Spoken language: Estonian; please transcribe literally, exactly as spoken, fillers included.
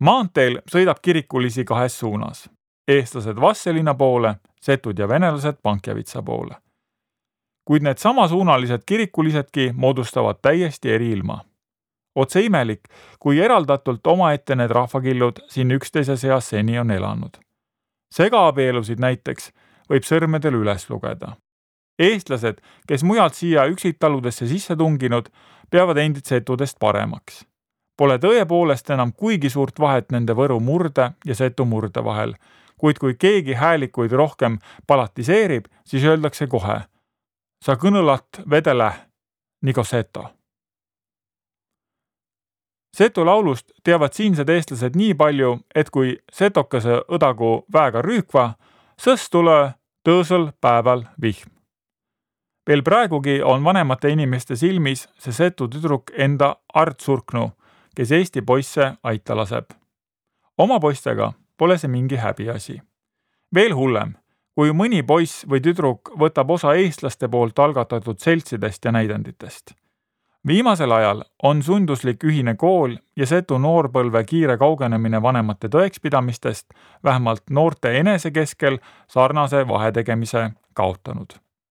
Maanteel sõidab kirikulisi kahes suunas. Eestlased Vastseliina poole, setud ja venelased Pankjavitsa poole. Kuid need samasuunalised kirikulisedki moodustavad täiesti eri ilma. Otse imelik, kui eraldatult omaette need rahvakillud siin üksteise seas seni on elanud. Segaabielusid näiteks võib sõrmedel üles lugeda. Eestlased, kes mujalt siia üksiktaludesse sisse tunginud, peavad endid setudest paremaks. Pole tõepoolest enam kuigi suurt vahet nende Võru murde ja Setu murde vahel, kuid kui keegi häälikuid rohkem palatiseerib, siis öeldakse kohe: sa kõnõlat vedele, nagu seto. Setu laulust teavad siinsed eestlased nii palju, et kui setokese õdagu väega rüükva, sõs tule tõõsel päeval vihm. Veel praegugi on vanemate inimeste silmis see Setu tüdruk enda Art Surknu, kes Eesti poisse aita laseb. Oma poistega pole see mingi häbiasi. Veel hullem, kui mõni poiss või tüdruk võtab osa eestlaste poolt algatatud seltsidest ja näidenditest. Viimasel ajal on sunduslik ühine kool ja Setu noorpõlve kiire kaugenemine vanemate tõekspidamistest vähemalt noorte enese keskel sarnase vahetegemise kaotanud.